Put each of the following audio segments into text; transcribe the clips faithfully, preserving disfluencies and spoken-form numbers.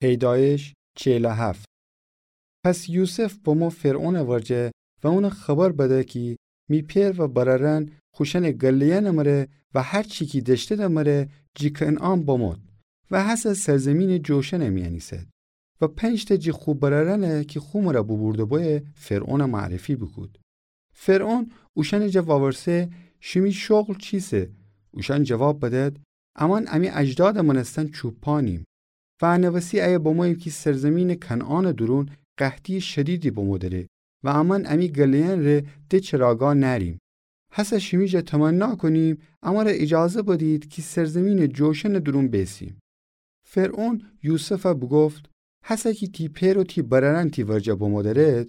پیدایش چهل و هفت. پس یوسف بمو فرعونٚ ورجه و اون خبر بده کی می پئر و برأرأن خوشأنٚ گله‌یأنٚ مره و هر چی کی دأشتیدٚ مره جی کنعان بمود و هسه سرزیمینٚ جوشنٚ میأن ایسد و پنج‌تأ جی خو برأرأنه کی خو مره بوبورده بویه فرعون معرفی بوکود. فرعون اوشأنٚ جا وورسه: شیمی شغل چیسه؟ اوشأن جواب بدد: امأن امی اجدادٚ مأنستن چوپانیم و انه وسی ایه بموییم کی سرزیمینٚ کنعانٚ دورون قحطییٚ شدیدی بمو دره و امأن امی گله‌یأن ره ده چراگاه نأریم. هسه شیمی جا تمنا کونیم امره ایجازه بدید کی سرزیمینٚ جوشنٚ دورون بیسیم. فرعون یوسفَ بوگفت: هسه کی تی پئر و تی برأرأن تی ورجه بمو درد،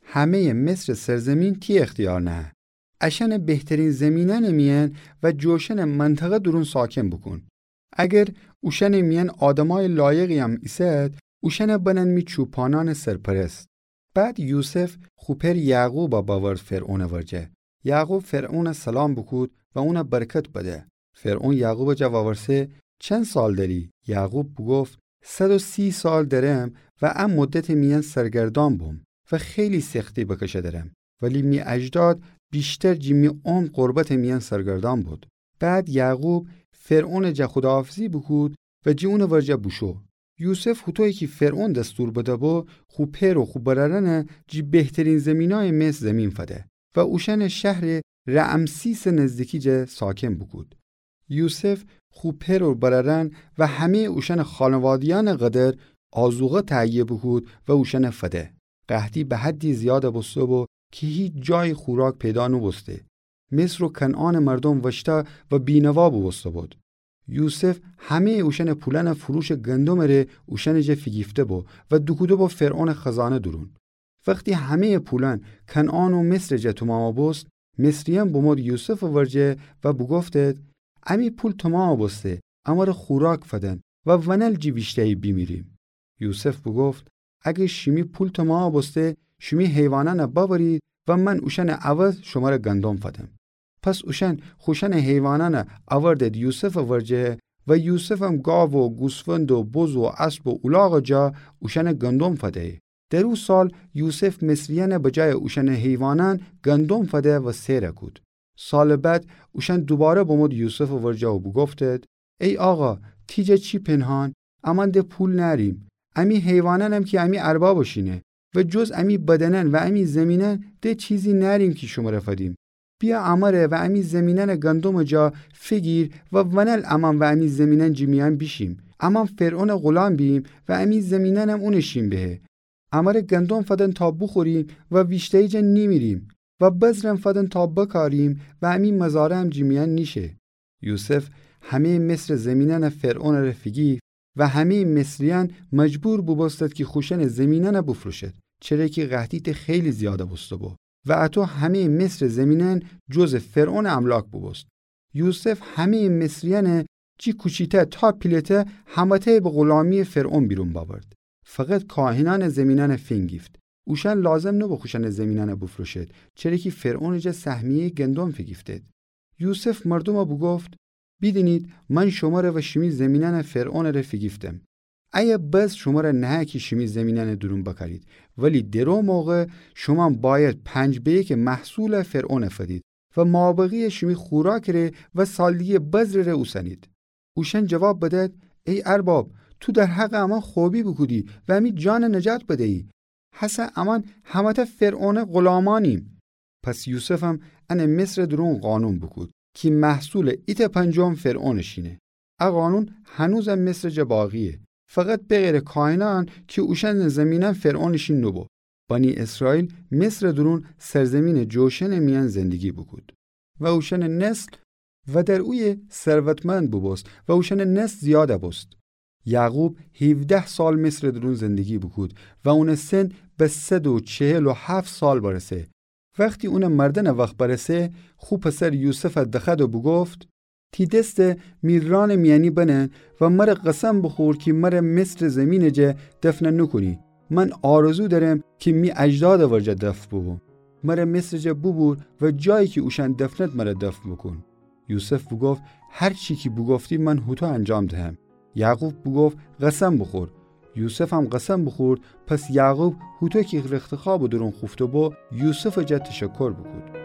همه‌یٚ مصرٚ سرزیمین تی اختیار نهه. اشأنه بهترین زیمینأنٚ میأن و جوشنٚ منطقه دورون ساکن بوکون. اگر اوشأنٚ میأن آدمأیٚ لایقی‌یم ایسد، اوشأنه بنن می چوپانأنٚ سرپرست. بعد یوسف خو پئر یعقوبَ بأورد فرعونٚ ورجه. یعقوب فرعونَ سلام بوکود و اونَ برکت بده. فرعون یعقوبٚ جا وورسه: چند سال دأری؟ یعقوب بوگفت: صد و سی سال دأرم و ا مدتٚ میأن سرگردان بوم و خیلی سختی بکشه دأرم، ولی می اجداد ویشتر جی می عمر غربتٚ میأن سرگردان بود. بعد یعقوب فرعونٚ جا خوداحافظی بوکود و جی اونٚ ورجه بوشو. یوسف هوطویی کی فرعون دستور بده‌بو، خو پئر و خو برأرأنَ جی بهترین زیمینأیٚ مصر زیمین فده و اوشأنٚ شهرٚ رعمسیسٚ نزدیکی جا ساکن بوکود. یوسف خو پئر و برأرأن و همه‌یٚ اوشأنٚ خانواده‌یأنٚ قدر آذوقه تهیه بوکود و اوشأنَ فده. قحطی به حدی زیاد بوسته‌بو کی هیچ جایی خوراک پیدا نوبوسته. مصر و کنعانٚ مردوم وشتأ و بینوا بوبوسته‌بود. یوسف همه‌یٚ اوشأنٚ پولأنَ فروشٚ گندمٚ ره اوشأنٚ جا فیگیفته‌بو و دوکوده‌بو فرعونٚ خزانه دورون. وختی همه‌یٚ پولأن کنعان و مصرٚ جا تومامَ بوست، مصریأن بمود یوسفٚ ورجه و بوگفتد: امی پول تومامَ بوسته، امره خوراک فدن و ونل جی ویشته‌یی بیمیریم. یوسف بوگفت: اگر شیمی پول تومامَ بوسته، شیمی حیوانأنَ بأورید و من اوشأنٚ عوض شمره گندم فدم. پس اوشأن خوشأنٚ حیوانأنَ اوردد یوسفٚ ورجه و یوسفم گاو و گوسفند و بز و اسب و اولاغٚ جا اوشأنَ گندم فده‌یی. در او سال یوسف مصریأنَ بجایٚ اوشأنٚ حیوانأن گندم فده و سئرَ کود. سالٚ بعد اوشأن دوباره بمود یوسفٚ ورجه و بوگفتد: ای آقا، تی جا چی پنهان؟ امأن ده پول نأریم. امی حیوانأنم کی امی اربابٚ شینه و جز امی بدنأن و امی زیمینأن ده چیزی نأریم کی شمره فدیم. بیأ امره و امی زیمینأنٚ گندمٚ جا فیگیر و ونل امأن و امی زیمینأن جی میأن بیشیم. امأن فرعونٚ غولام بییم و امی زیمینأنم اونٚ شین بهه. امره گندم فدن تا بوخوریم و ویشته‌یی جا نیمیریم و بذرم فدن تا بکاریم و امی مزارعم جی میأن نیشه. یوسف همه‌یٚ مصرٚ زیمینأنَ فرعونٚ ره فیگیفت و همه‌یٚ مصریأن مجبور بوبوستد کی خوشأنٚ زیمینأنَ بوفروشد، چره کی قحطی ته خیلی زیاد بوسته‌بو و اطو همه‌یٚ مصرٚ زیمینأن جزٚ فرعونٚ املاک بوبوست. یوسف همه‌یٚ مصریأنَ جی کوچی‌تأ تا پیله‌تأ همه‌تأی به غولامییٚ فرعون بیرون بأورد. فقط کاهنأنٚ زیمینأنَ فینگیفت. اوشأن لازم نوبو خوشأنٚ زیمینأنَ بوفروشد، چره کی فرعونٚ جا سهمیه‌یٚ گندم فیگیفتد. یوسف مردومَ بوگفت: بیدینید، من شمره و شیمی زیمینأنَ فرعونٚ ره فیگیفتم. ایه بذر شمره نهه کی شیمی زیمینأنٚ دورون بکارید، ولی در او موقع شومأن بأید پنج به یکٚ محصولَ فرعونَ فدید و مابقییٚ شیمی خوراکٚ ره و سالدیگه بذرٚ ره اوسنید. اوشأن جواب بدد: ای ارباب، تو در حقٚ امأن خوبی بوکودی و امی جانَ نجات بدیی. هسه امأن همه‌تأ فرعونٚ غولامأنیم. پس یوسفم انٚ مصرٚ دورون قانون بوکود کی محصولٚ ایتأ پنجم فرعونٚ شینه. ا قانون هنوزم مصرٚ جا باقییه، فقط بغیرٚ کاهنأن کی اوشأنٚ زیمینأن فرعونٚ شین نوبو. بنی اسرائیل مصرٚ دورون سرزیمینٚ جوشنٚ میأن زندگی بوکود و اوشأنٚ نسل و در اویه ثروتمند بوبوست و اوشأنٚ نسل زیاد بوست. یعقوب هیوده سال مصرٚ دورون زندگی بوکود و اونٚ سن به صد و چهل و هفت سال برسه. وختی اونٚ مردنٚ وخت برسه، خو پسر یوسفَ دخوأد و بوگفت: تی دس می رانٚ میأنی بنه و مره قسم بوخور کی مره مصرٚ زیمینٚ جا دفن نوکونی. من آرزو دأرم کی می اجدادٚ ورجه دفن بوبوم. مره مصرٚ جا بوبور و جایی کی اوشأن دفنه مره دفن بوکون. یوسف بوگفت: هر چی کی بوگفتی من هوطو انجام دهم. یعقوب بوگفت: قسم بوخور. یوسفم قسم بوخورد. پس یعقوب هوطو کی رختخوابٚ دورون خوفته‌بو، یوسفٚ جا تشکر بوکود.